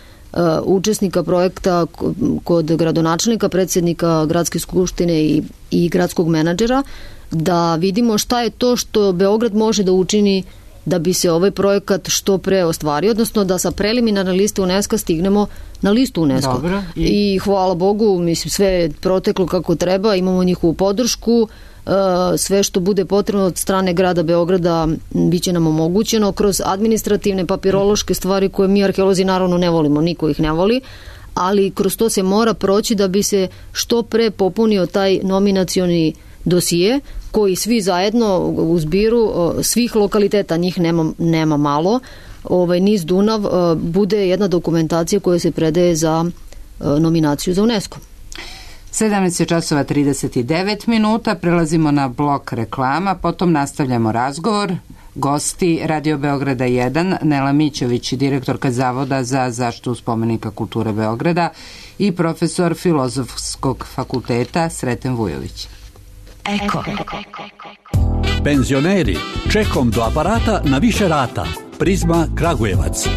učesnika projekta kod gradonačelnika, predsjednika gradske skupštine i gradskog menadžera, da vidimo šta je to što Beograd može da učini da bi se ovaj projekat što pre ostvario, odnosno da sa preliminarne liste UNESCO stignemo na listu UNESCO. Dobro. I hvala Bogu, mislim, sve je proteklo kako treba, imamo njihovu podršku, sve što bude potrebno od strane grada Beograda biće nam omogućeno kroz administrativne, papirološke stvari koje mi arheolozi naravno ne volimo, niko ih ne voli, ali kroz to se mora proći da bi se što pre popunio taj nominacioni dosije koji svi zajedno u zbiru svih lokaliteta, njih nema malo, niz Dunav, bude jedna dokumentacija koja se predaje za nominaciju za UNESCO. 17:39, prelazimo na blok reklama, potom nastavljamo razgovor. Gosti Radio Beograda 1, Nela Mićović, direktorka Zavoda za zaštitu spomenika kulture Beograda, i profesor Filozofskog fakulteta Sreten Vujović. Eko. Penzioneri, čekom do aparata na više rata. Prizma Kragujevac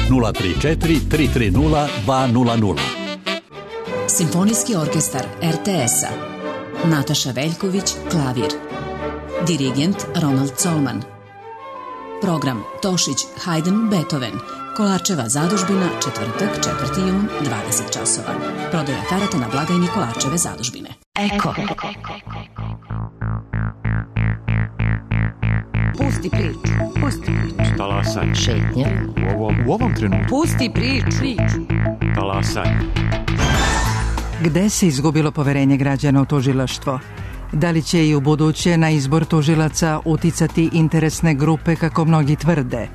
034 330 200. Simfonijski orkestar RTS-a. Nataša Veljković, klavir. Dirigent Ronald Colman. Program Tošić, Haydn, Beethoven. Kolarčeva zadužbina, četvrtak, 4. jun, 20 časova. Prodaja karata na blagajni Kolarčeve zadužbine. Eko. Pusti priču. Talasanje. Šetnja. U ovom trenutku. Pusti priču. Talasanje. Gde se izgubilo poverenje građana u tužilaštvo? Da li će i u buduće na izbor tužilaca uticati interesne grupe kako mnogi tvrde?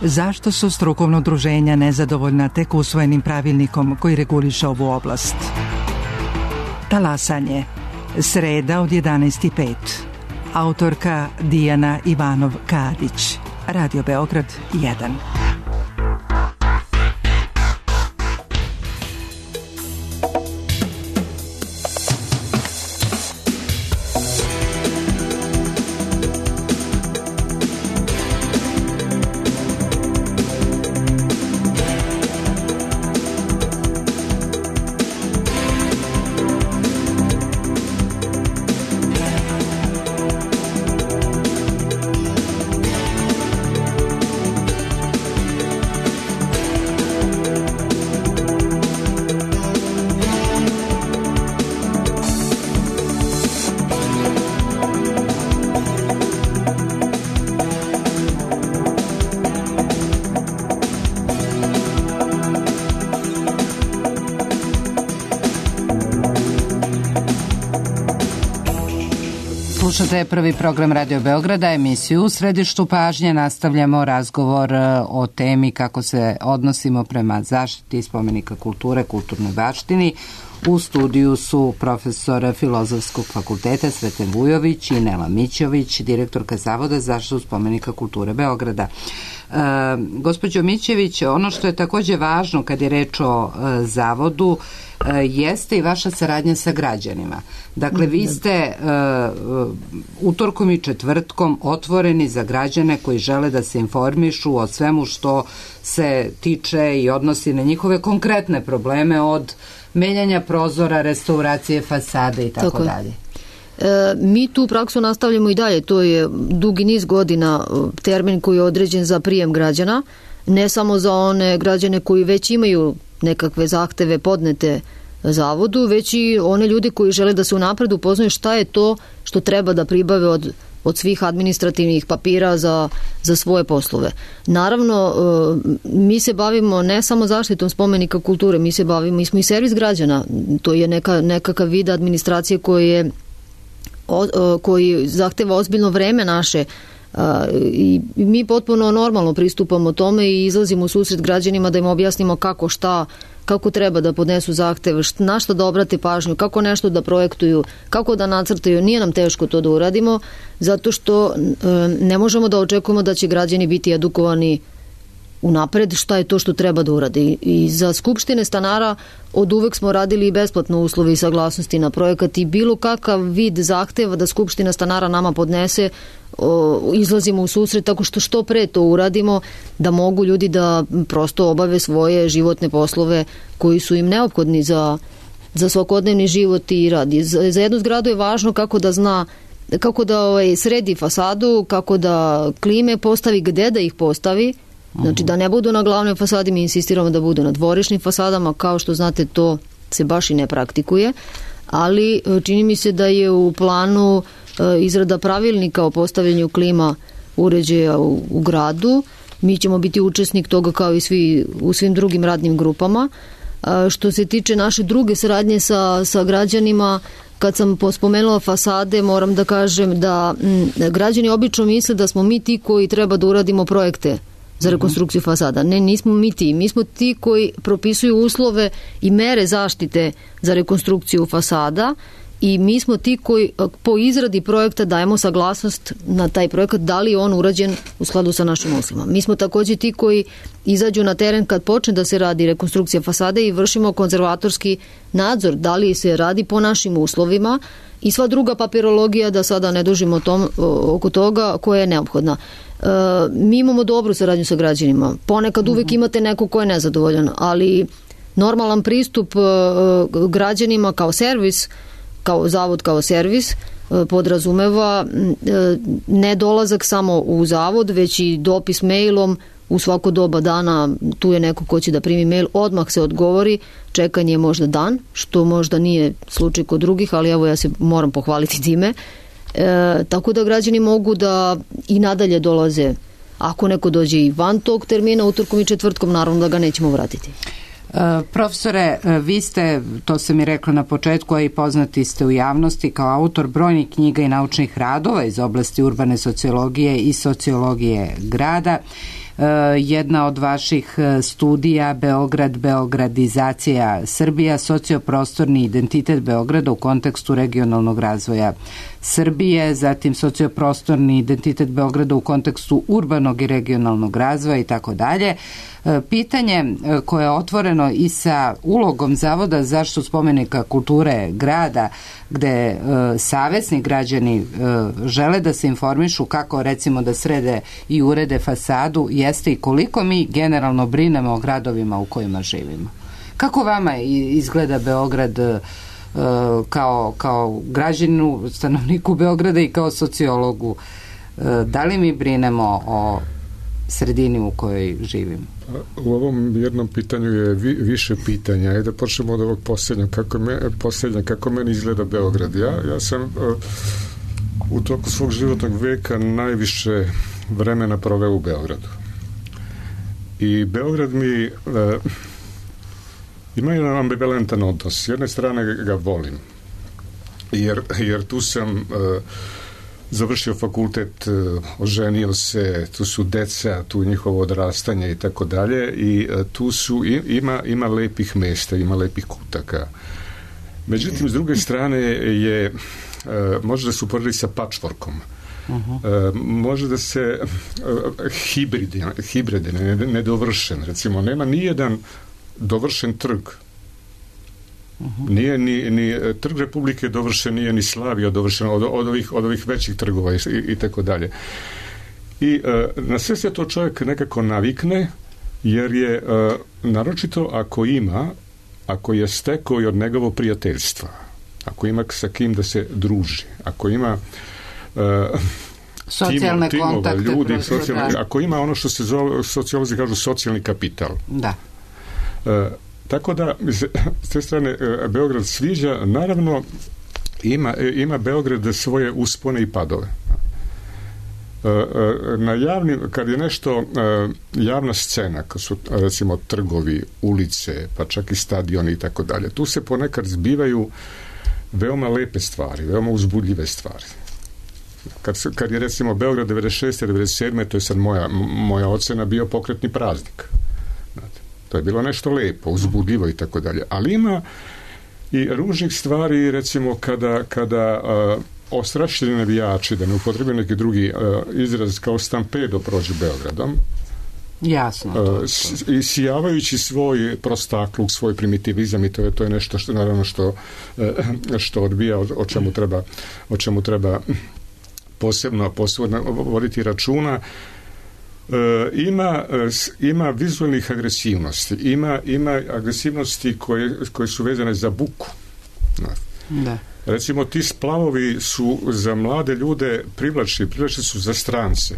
Zašto su strukovna udruženja nezadovoljna tek usvojenim pravilnikom koji reguliše ovu oblast? Talasanje. Sreda od 11:05. Autorka Dijana Ivanov-Kadić. Radio Beograd 1. Slušate prvi program Radio Beograda, emisiju U središtu pažnje. Nastavljamo razgovor o temi kako se odnosimo prema zaštiti spomenika kulture, kulturnoj baštini. U studiju su profesor Filozofskog fakulteta Sreten Vujović i Nela Mićović, direktorka Zavoda za zaštitu spomenika kulture Beograda. Gospođo Mićević, ono što je takođe važno kad je reč o Zavodu jeste i vaša saradnja sa građanima. Dakle, vi ste utorkom i četvrtkom otvoreni za građane koji žele da se informišu o svemu što se tiče i odnosi na njihove konkretne probleme, od menjanja prozora, restauracije fasade i tako dalje. Mi tu praksu nastavljamo i dalje. To je dugi niz godina termin koji je određen za prijem građana, ne samo za one građane koji već imaju nekakve zahteve podnete Zavodu, već i one ljudi koji žele da se unapred upoznaju šta je to što treba da pribave od svih administrativnih papira za svoje poslove. Naravno, mi se bavimo ne samo zaštitom spomenika kulture, mi smo i servis građana. To je nekakav vid administracije koji zahteva ozbiljno vreme naše, i mi potpuno normalno pristupamo tome i izlazimo u susret građanima da im objasnimo kako treba da podnesu zahtev, na što da obrate pažnju, kako nešto da projektuju, kako da nacrtaju. Nije nam teško to da uradimo, zato što ne možemo da očekujemo da će građani biti edukovani unapred šta je to što treba da uradi. I za skupštine stanara od uvek smo radili i besplatno uslovi i saglasnosti na projekat i bilo kakav vid zahteva da skupština stanara nama podnese, izlazimo u susret tako što pre to uradimo, da mogu ljudi da prosto obave svoje životne poslove koji su im neophodni za svakodnevni život i rad. Za jednu zgradu je važno kako da zna, kako da sredi fasadu, kako da klime postavi, gde da ih postavi. Znači da ne budu na glavnoj fasadi, mi insistiramo da budu na dvorišnim fasadama, kao što znate to se baš i ne praktikuje, ali čini mi se da je u planu izrada pravilnika o postavljanju klima uređaja u gradu. Mi ćemo biti učesnik toga kao i u svim drugim radnim grupama. Što se tiče naše druge saradnje sa građanima, kad sam spomenula fasade, moram da kažem da građani obično misle da smo mi ti koji treba da uradimo projekte za rekonstrukciju fasada. Ne, nismo mi ti. Mi smo ti koji propisuju uslove i mere zaštite za rekonstrukciju fasada i mi smo ti koji po izradi projekta dajemo saglasnost na taj projekat, da li je on urađen u skladu sa našim uslovima. Mi smo također ti koji izađu na teren kad počne da se radi rekonstrukcija fasade i vršimo konzervatorski nadzor, da li se radi po našim uslovima i sva druga papirologija, da sada ne dužimo oko toga, koja je neophodna. Mi imamo dobru saradnju sa građanima. Ponekad uvijek imate neko ko je nezadovoljan, ali normalan pristup građanima kao servis, kao zavod, kao servis, podrazumeva ne dolazak samo u zavod, već i dopis mailom u svako doba dana. Tu je neko ko će da primi mail, odmah se odgovori, čekanje je možda dan, što možda nije slučaj kod drugih, ali evo ja se moram pohvaliti time. Tako da građani mogu da i nadalje dolaze. Ako neko dođe i van tog termina, utorkom i četvrtkom, naravno da ga nećemo vratiti. Profesore, vi ste, to sam i rekla na početku, a i poznati ste u javnosti kao autor brojnih knjiga i naučnih radova iz oblasti urbane sociologije i sociologije grada. Jedna od vaših studija Beograd, beogradizacija Srbija, socioprostorni identitet Beograda u kontekstu regionalnog razvoja Srbije, zatim socioprostorni identitet Beograda u kontekstu urbanog i regionalnog razvoja i tako dalje. Pitanje koje je otvoreno i sa ulogom Zavoda za zaštitu spomenika kulture grada, gde savesni građani žele da se informišu kako recimo da srede i urede fasadu, jeste i koliko mi generalno brinemo o gradovima u kojima živimo. Kako vama izgleda Beograd kao građaninu, stanovniku Beograda i kao sociologu? Da li mi brinemo o sredini u kojoj živimo? U ovom jednom pitanju je više pitanja. Ajde da počnemo od ovog posljednja, kako meni izgleda Beograd. Ja sam u toku svog životnog veka najviše vremena proveo u Beogradu. I Beograd mi ima jedan ambivalentan odnos. S jedne strane ga volim, jer tu sam završio fakultet, oženio se, tu su deca, tu njihovo odrastanje i tako dalje, i tu su, ima lepih mesta, ima lepih kutaka. Međutim, s druge strane je, može da se uporedi sa patchworkom. Može da se hibride, nedovršen. Recimo, nema nijedan dovršen trg. Nije ni Trg Republike dovršen, nije ni Slavija dovršen od ovih većih trgova i tako dalje. I na sve se to čovjek nekako navikne, jer je naročito ako je stekao i od njegovo prijateljstva, ako ima sa kim da se druži, ako ima socijalne kontakte, ljudi, ako ima ono što se sociolozi kažu socijalni kapital. Da. Tako da, s te strane, Beograd sviđa. Naravno, ima Beograd svoje uspone i padove. Na kad je nešto javna scena, kad su, recimo, trgovi, ulice, pa čak i stadioni i tako dalje, tu se ponekad zbivaju veoma lepe stvari, veoma uzbudljive stvari. Kad je, recimo, Beograd 96. 97. to je sad moja ocena, bio pokretni praznik. To je bilo nešto lepo, uzbudljivo i tako dalje. Ali ima i ružnih stvari, recimo kada ostrašćeni navijači, da ne upotrebim neki drugi izraz, kao stampedo prođu Beogradom. Jasno. I sijavajući svoj prostakluk, svoj primitivizam, i to je nešto što naravno što odbija, o čemu treba posebno voditi računa. Ima vizualnih agresivnosti, ima agresivnosti koje su vezane za buku. Da. Recimo, ti splavovi su za mlade ljude privlačni su za strance.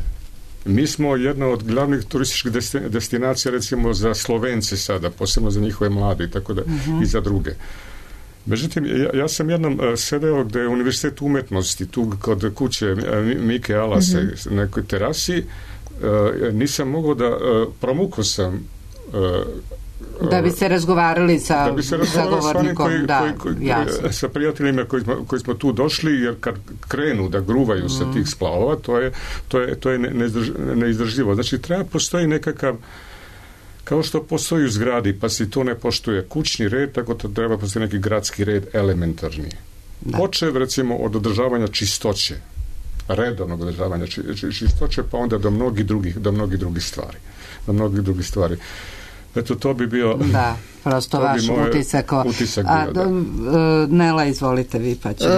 Mi smo jedna od glavnih turističkih destinacija, recimo, za Slovence sada, posebno za njihove mlade i tako da, i za druge. Međutim, ja sam jednom sedeo gde je Univerzitet umetnosti, tu kod kuće Mike Alase, na nekoj terasi, nisam mogao da promukao sam Da bi se razgovarali sa govornikom, sa prijateljima koji smo tu došli, jer kad krenu da gruvaju sa tih splavova, to je neizdrživo. Znači, postoji nekakav, kao što postoji u zgradi, pa se to ne poštuje kućni red, tako da treba postoji neki gradski red elementarni. Počev, recimo, od održavanja čistoće, redovnog održavanja čistoće, pa onda do mnogih drugih stvari. Eto, to bi bio... Da, prosto vaš utisak. Nela, izvolite vi, pa ćemo...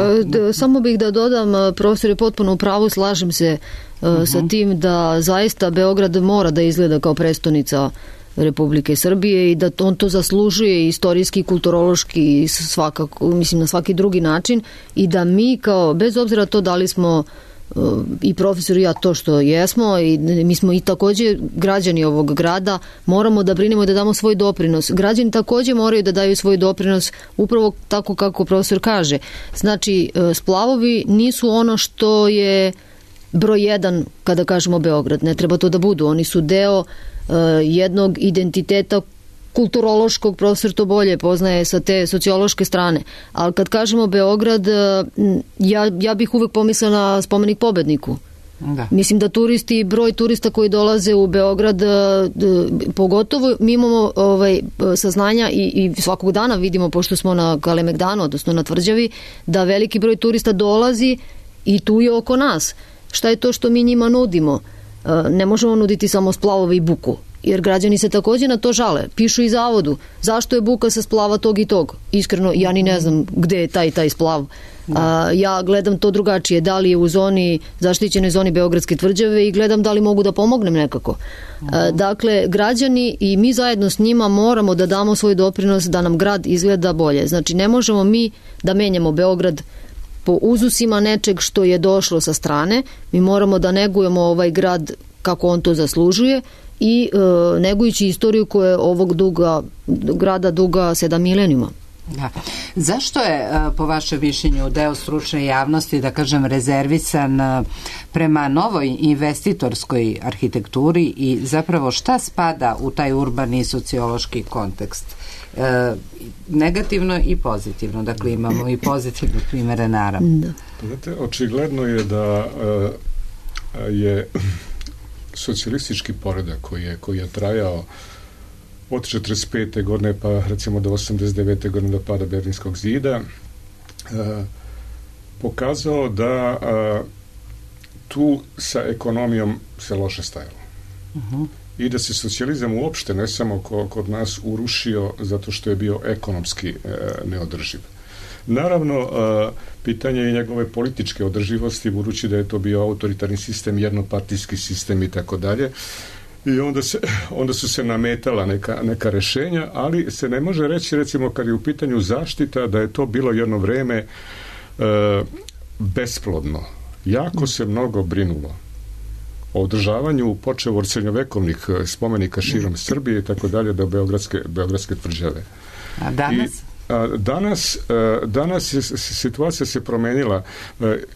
Samo bih da dodam, profesor je potpuno u pravu, slažem se sa tim da zaista Beograd mora da izgleda kao prestonica Republike Srbije i da on to zaslužuje istorijski, kulturološki i svakako, mislim, na svaki drugi način, i da mi kao, bez obzira to da li smo i profesor i ja to što jesmo, i mi smo i također građani ovog grada, moramo da brinemo i da damo svoj doprinos. Građani također moraju da daju svoj doprinos upravo tako kako profesor kaže. Znači, splavovi nisu ono što je broj jedan kada kažemo Beograd. Ne treba to da budu. Oni su deo jednog identiteta kulturološkog, profesor to bolje poznaje sa te sociološke strane. Ali kad kažemo Beograd, ja bih uvek pomislila na spomenik Pobedniku. Da. Mislim da turisti, broj turista koji dolaze u Beograd, pogotovo mi imamo saznanja i svakog dana vidimo, pošto smo na Kalemegdanu, odnosno na Tvrđavi, da veliki broj turista dolazi i tu je oko nas. Šta je to što mi njima nudimo? Ne možemo nuditi samo splavove i buku, jer građani se također na to žale. Pišu i zavodu. Zašto je buka sa splava tog i tog? Iskreno, ja ni ne znam gde je taj splav. Ja gledam to drugačije. Da li je u zaštićenoj zoni Beogradske Tvrđave i gledam da li mogu da pomognem nekako. Dakle, građani i mi zajedno s njima moramo da damo svoj doprinos da nam grad izgleda bolje. Znači, ne možemo mi da menjamo Beograd po uzusima nečeg što je došlo sa strane. Mi moramo da negujemo ovaj grad kako on to zaslužuje i negujući istoriju koja je ovog grada duga 7 milenijuma. Da. Zašto je, po vašem mišljenju, deo stručne javnosti, da kažem, rezervisan prema novoj investitorskoj arhitekturi i zapravo šta spada u taj urbani sociološki kontekst? Negativno i pozitivno. Dakle, imamo i pozitivne primere, naravno. Znate, očigledno je da je socijalistički poredak koji je trajao od 45. godine pa recimo do 89. godine do pada Berlinskog zida pokazao da tu sa ekonomijom se loše stajalo. I da se socijalizam uopšte ne samo kod nas urušio zato što je bio ekonomski neodrživ. Naravno, pitanje je njegove političke održivosti, budući da je to bio autoritarni sistem, jednopartijski sistem i tako dalje. I onda su se nametala neka rešenja, ali se ne može reći, recimo, kad je u pitanju zaštita, da je to bilo jedno vreme besplodno. Jako se mnogo brinulo o održavanju, počev od srednjovekovnih spomenika širom Srbije i tako dalje do Beogradske Tvrđave. A danas? Danas situacija se promenila.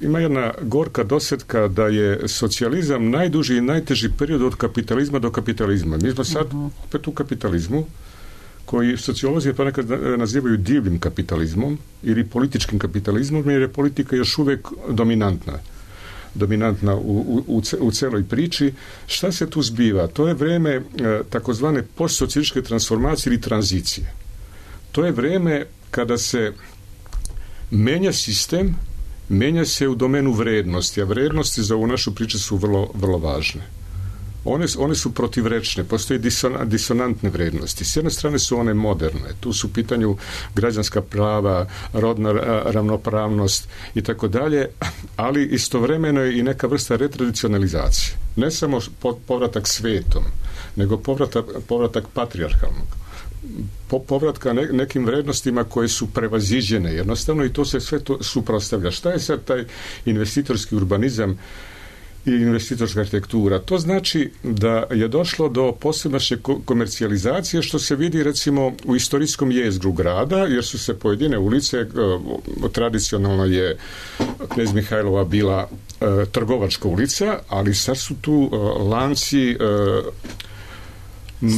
Ima jedna gorka dosetka da je socijalizam najduži i najteži period od kapitalizma do kapitalizma. Mi smo sad opet u kapitalizmu, koji sociolozi pa nekad nazivaju divljim kapitalizmom ili političkim kapitalizmom, jer je politika još uvijek dominantna u celoj priči. Šta se tu zbiva? To je vreme takozvane postsocijalističke transformacije ili tranzicije. To je vreme kada se menja sistem, menja se u domenu vrednosti, a vrednosti za ovu našu priču su vrlo, vrlo važne. One su protivrečne, postoje disonantne vrednosti. S jedne strane su one moderne, tu su u pitanju građanska prava, rodna ravnopravnost i tako dalje, ali istovremeno je i neka vrsta retradicionalizacije. Ne samo povratak svetom, nego povratak patrijarhalnog. Povratka nekim vrednostima koje su prevaziđene jednostavno, i to se sve to suprotstavlja. Šta je sad taj investitorski urbanizam i investitorska arhitektura? To znači da je došlo do posebnašnje komercijalizacije, što se vidi recimo u istorijskom jezgru grada, jer su se pojedine ulice, tradicionalno je Knez Mihajlova bila trgovačka ulica, ali sad su tu lanci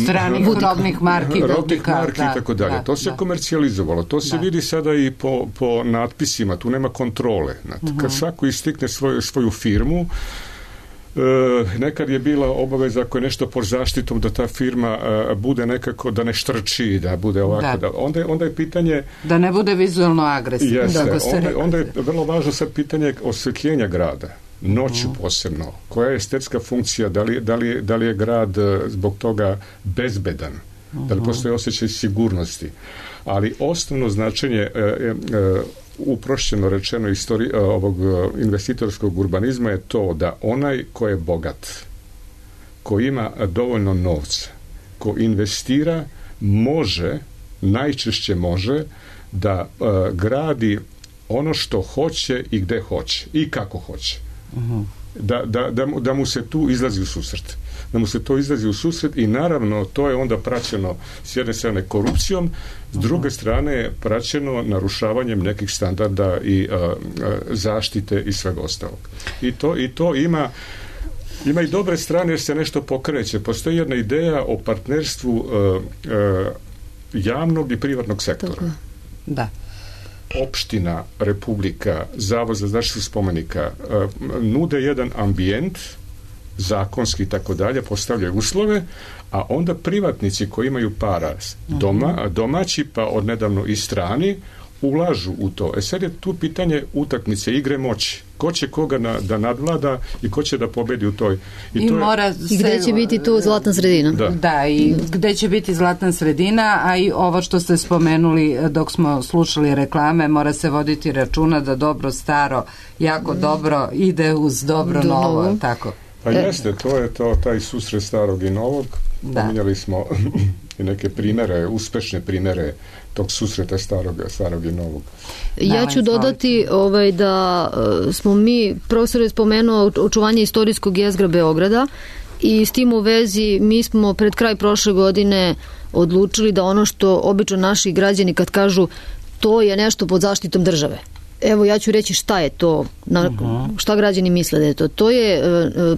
stranih rodnih marki, rodnih marki i tako dalje. To se komercijalizovalo. To se vidi sada i po natpisima. Tu nema kontrole. Kad svako istikne svoju firmu, nekad je bila obaveza ako je nešto pod zaštitom da ta firma bude nekako, da ne štrči, da bude ovako. Onda je pitanje... Da ne bude vizualno agresivno. Jeste. Onda je vrlo važno sad pitanje osvetljenja grada. Noću posebno. Koja je estetska funkcija? Da li je grad zbog toga bezbedan? Da li postoji osjećaj sigurnosti? Ali osnovno značenje uprošćeno rečeno ovog investitorskog urbanizma je to da onaj ko je bogat, ko ima dovoljno novca, ko investira, najčešće može da gradi ono što hoće i gde hoće i kako hoće. Da mu se tu izlazi u susret. I naravno to je onda praćeno s jedne strane korupcijom, s druge strane praćeno narušavanjem nekih standarda i zaštite i svega ostalog. I to ima i dobre strane jer se nešto pokreće. Postoji jedna ideja o partnerstvu javnog i privatnog sektora. Tako. Da. Opština, Republika, Zavod za zaštitu spomenika nude jedan ambijent, zakonski i tako dalje, postavljaju uslove, a onda privatnici koji imaju para domaći pa odnedavno i strani ulažu u to. Sad je tu pitanje utakmice, igre moći. Ko će koga da nadvlada i ko će da pobedi u toj. I gde će biti tu zlatna sredina. Da, i gde će biti zlatna sredina, a i ovo što ste spomenuli dok smo slušali reklame, mora se voditi računa da dobro staro, jako dobro ide uz dobro novo. Tako. Pa jeste, to je taj susret starog i novog. Pominjali smo i neke primere, uspešne primere tog susreta starog i novog. Ja ću dodati da smo mi, profesor je spomenuo očuvanje istorijskog jezgra Beograda i s tim u vezi mi smo pred kraj prošle godine odlučili da ono što obično naši građani kad kažu to je nešto pod zaštitom države. Evo ja ću reći šta je to, šta građani misle da je to. To je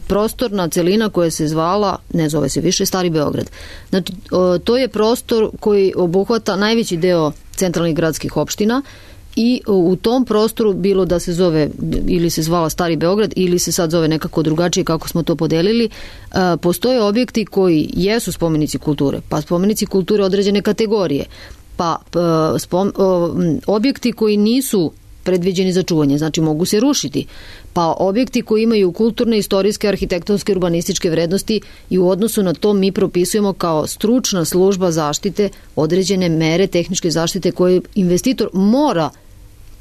prostorna celina koja se zvala, ne zove se više, Stari Beograd. Znači, to je prostor koji obuhvata najveći deo centralnih gradskih opština i u tom prostoru bilo da se zove ili se zvala Stari Beograd ili se sad zove nekako drugačije kako smo to podelili, postoje objekti koji jesu spomenici kulture, pa spomenici kulture određene kategorije, pa objekti koji nisu predviđeni za čuvanje, znači mogu se rušiti, pa objekti koji imaju kulturne, istorijske, arhitektonske, urbanističke vrednosti i u odnosu na to mi propisujemo kao stručna služba zaštite određene mere tehničke zaštite koje investitor mora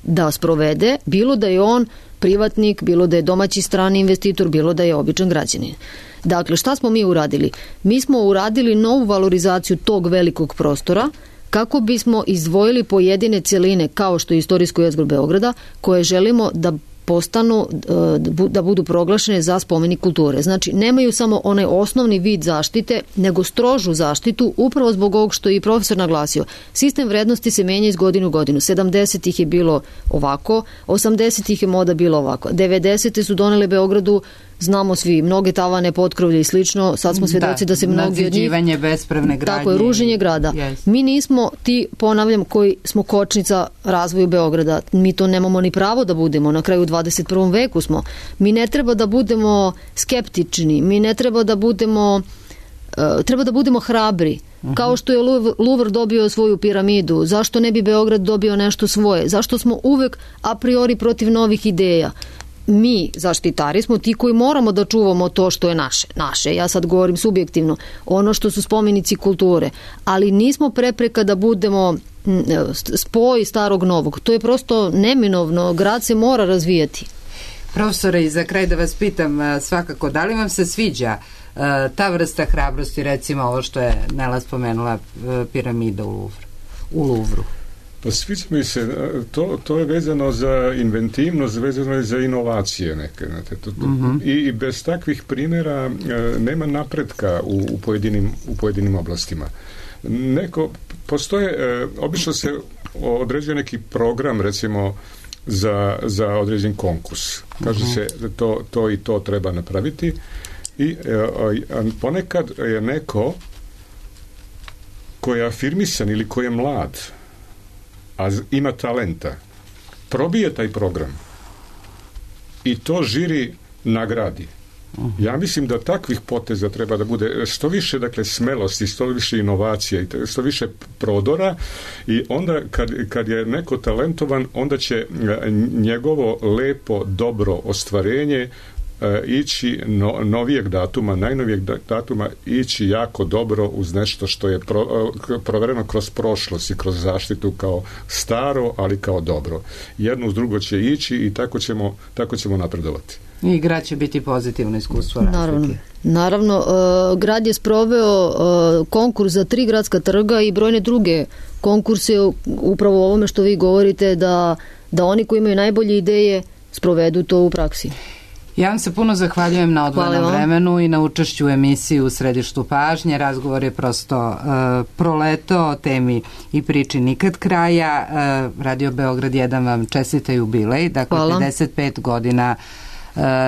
da sprovede, bilo da je on privatnik, bilo da je domaći strani investitor, bilo da je običan građanin. Dakle, šta smo mi uradili? Mi smo uradili novu valorizaciju tog velikog prostora kako bismo izdvojili pojedine celine kao što je istorijsko jezgro Beograda koje želimo da postanu, da budu proglašene za spomenik kulture. Znači, nemaju samo onaj osnovni vid zaštite, nego strožu zaštitu, upravo zbog ovog što je i profesor naglasio. Sistem vrednosti se menja iz godinu u godinu. 70-ih je bilo ovako, 80-ih je moda bilo ovako. 90-te su donele Beogradu, znamo svi, mnoge tavane, potkrovlje i slično, sad smo svedoci da se mnogi od njih... Nadziđivanje bespravne gradnje. Tako je, ruženje grada. Yes. Mi nismo ti, ponavljam, koji smo kočnica razvoju Beograda. Mi to nemamo ni pravo da budemo, na kraju 21. veku smo. Mi ne treba da budemo skeptični, mi ne treba da budemo... treba da budemo hrabri. Kao što je Louvre dobio svoju piramidu, zašto ne bi Beograd dobio nešto svoje? Zašto smo uvek a priori protiv novih ideja? Mi, zaštitari, smo ti koji moramo da čuvamo to što je naše. Ja sad govorim subjektivno, ono što su spomenici kulture, ali nismo prepreka da budemo spoj starog novog. To je prosto neminovno, grad se mora razvijati. Profesore, i za kraj da vas pitam svakako, da li vam se sviđa ta vrsta hrabrosti, recimo ovo što je Nela spomenula, piramida u Louvru? Pa sviđa mi se, to je vezano za inventivnost, vezano je za inovacije neke. I bez takvih primjera nema napretka u pojedinim oblastima. Postoje, obično se određuje neki program, recimo, za određen konkurs. Kaže se da to i to treba napraviti i ponekad je neko ko je afirmisan ili ko je mlad, a ima talenta, probije taj program i to žiri nagradi. Ja mislim da takvih poteza treba da bude što više, dakle, smelosti, što više inovacija i što više prodora, i onda kad je neko talentovan, onda će njegovo lepo, dobro ostvarenje ići novijeg datuma, najnovijeg datuma, ići jako dobro uz nešto što je provereno kroz prošlost i kroz zaštitu kao staro, ali kao dobro. Jedno uz drugo će ići i tako ćemo napredovati. I grad će biti pozitivno iskustvo razlike. Naravno, grad je sproveo konkurs za 3 gradska trga i brojne druge konkurse upravo o ovome što vi govorite, da oni koji imaju najbolje ideje sprovedu to u praksi. Ja vam se puno zahvaljujem na odvojenom vremenu i na učešću u emisiji U središtu pažnje. Razgovor je prosto proleto o temi i priči nikad kraja. Radio Beograd 1 vam čestita jubilej, dakle 55 godina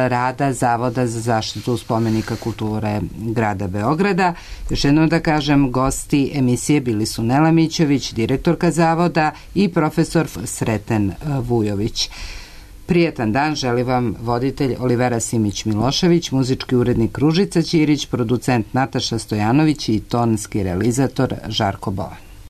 rada Zavoda za zaštitu spomenika kulture grada Beograda. Još jednom da kažem, gosti emisije bili su Nela Mićević, direktorka Zavoda, i profesor Sreten Vujović. Prijetan dan želi vam voditelj Olivera Simić-Milošević, muzički urednik Ružica Ćirić, producent Nataša Stojanović i tonski realizator Žarko Bovan.